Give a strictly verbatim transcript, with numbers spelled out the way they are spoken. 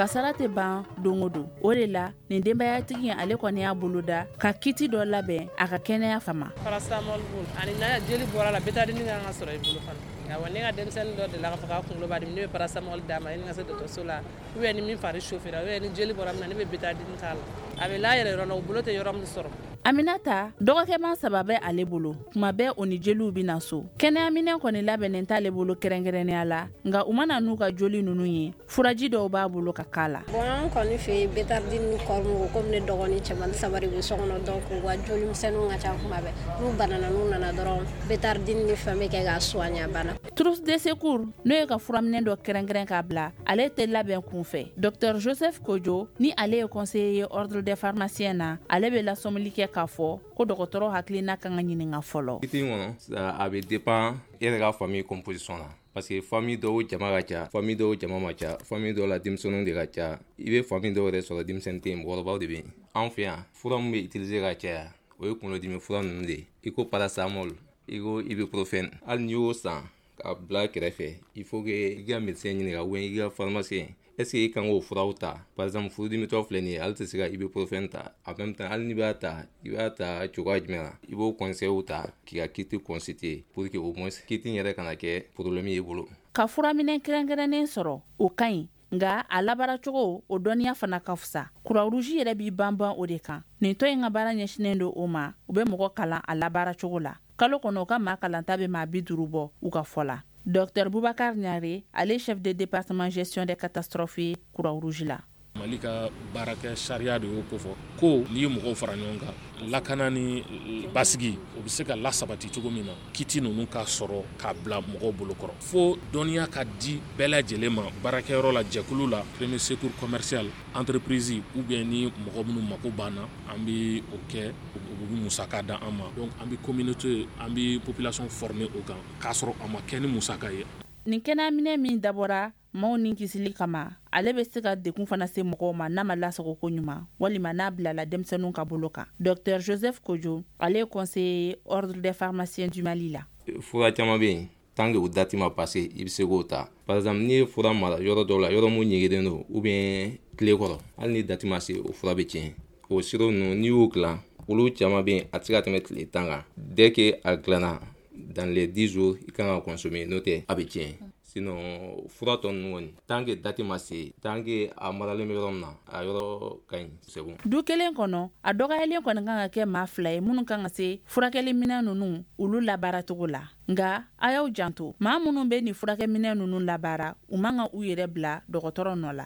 Kasara tɛ ban don o don. O de la, nin denbayatigi ale kɔni y'a boloda ka kit dɔ labɛn a ka kɛnɛya kama. Paracétamol ani n'a jeli bɔra la, bétadine kan ka sɔrɔ i bolo fana. Awɔ, ne ka denmisɛnnin dɔ delila k'a fɔ k'a kunkolo b'a dimi, ne bɛ paracétamol d'a ma yanni n ka se dɔgɔtɔrɔso la, ou bien ni min fari chauffé ra, ou bien ni jeli bɔra min na, ne bɛ bétadine k'a la. A bɛ la yɛrɛ yɔrɔ la, u bolo tɛ yɔrɔ min sɔrɔ. Aminata dɔgɔkɛman saba bɛ ale bolo. Tuma bɛɛ o ni jeliw bɛ na so. Kɛnɛyaminɛ kɔni labɛnnen t'ale bolo kɛrɛnkɛrɛnnenya la, nka u mana n'u ka joli ninnu ye, furaji dɔw b'a bolo ka k'a la. Bon, an kɔni fɛ yen, bétadine ni kɔrɔmugu, komi ne dɔgɔnin cɛman saba de bɛ so kɔnɔ, donc u ka jolimisɛnninw ka ca kuma bɛɛ. N'u banana, n'u nana dɔrɔn, bétadine ni fɛn bɛ kɛ k'a soigner, a banna. Trousse de secours, n'o ye ka furaminɛ dɔ kɛrɛnkɛrɛn k'a bila, ale tɛ labɛn kunfɛ. Docteur Joseph Kojo, ni ale ye conseiller ye ordre des pharmaciens na, ale bɛ lasɔmili kɛ k'a fɔ ko dɔgɔtɔrɔ hakilina kan ka ɲininka fɔlɔ. Kit kɔnɔ, a bɛ dépend e yɛrɛ ka famille composition na, parce que famille dɔw jama ka ca, famille dɔw jama ma ca, famille dɔw la denmisɛnninw de ka ca. I bɛ famille dɔw yɛrɛ sɔrɔ, denmisɛnnin tɛ yen, mɔgɔkɔrɔbaw de bɛ yen. Anw fɛ yan, fura min bɛ utiliser ka caya, o ye kunkolodimi fura ninnu de ye, i ko paracétamol, i ko ibuprofène. Hali n'i y'o san ka bila kɛrɛfɛ, il faut que i ka médecin ɲininka ou bien i ka pharmacien, est ce que i kan k'o furaw ta? Par exemple, furudimitɔ filɛ nin ye, ale tɛ se ka ibuprofène ta. En même temps, hali n'i b'a ta, i b'a ta cogoya jumɛn na? I b'o conseil ta k'i ka kit constituer pour que au moins kit in yɛrɛ kana kɛ problème ye i bolo. Ka furaminɛ kɛrɛnkɛrɛnnen sɔrɔ, o ka ɲi, nka a labaaracogo, o dɔnniya fana ka fisa. Croix-Rouge yɛrɛ b'i banban o de kan. Nin tɔ in ka baara ɲɛsinnen don o ma. U bɛ mɔgɔ kalan a labaaracogo la. Kalo kɔnɔ, u ka maa kalanta bɛ maa bi duuru bɔ, u ka fɔ la. Docteur Boubacar Niare, ale chef de département gestion des catastrophes ye Croix-Rouge la. Mali ka baarakɛ sariya de y'o kofɔ ko n'i ye mɔgɔw fara ɲɔgɔn kan, lakana ni basigi, o bɛ se ka lasabati cogo min na, kit ninnu ka sɔrɔ k'a bila mɔgɔw bolokɔrɔ, fo dɔnniya ka di bɛɛ lajɛlen ma baarakɛyɔrɔ la, jɛkulu la, premier secours commercial, entreprise, ou bien ni mɔgɔ minnu mako banna, an bɛ o kɛ, u bɛ musaka da an ma. Donc an bɛ communauté, an bɛ population former o kan, k'a sɔrɔ a ma kɛ ni musaka ye. Nin kɛnɛyaminɛ min dabɔra maaw ni kisili kama, ale bɛ se ka dekun fana se mɔgɔw ma n'a ma lasago ko ɲuman walima n'a bilala denmisɛnninw ka bolo kan. Docteur Joseph Kojo, ale ye conseiller ordre des pharmaciens du Mali la. Fura caman bɛ yen, tant que o date ma passé, i bɛ se k'o ta. Par exemple, n'i ye fura mara yɔrɔ dɔw la, yɔrɔ mun ɲɛgɛnnen don ou bien tile kɔrɔ, hali ni date ma se, o fura bɛ tiɲɛ. O sirop ninnu, n'i y'o dilan, olu caman bɛ yen, a tɛ se ka tɛmɛ tile tan kan. Dès que a dilanna, dans les dix jours, i kan ka consommer, n'o tɛ a bɛ tiɲɛ. Sinon fura tɔ ninnu kɔni, tant que date ma se, tant que a maralen bɛ yɔrɔ min na, a yɔrɔ ka ɲi, c'est bon. Du kelen kɔnɔ, a dɔgɔyalen kɔni kan ka kɛ maa fila ye minnu kan ka se furakɛliminɛ ninnu olu labaaracogo la. Nka a y'aw janto, maa minnu bɛ nin furakɛminɛ ninnu labaara, u man ka u yɛrɛ bila dɔgɔtɔrɔ nɔ la.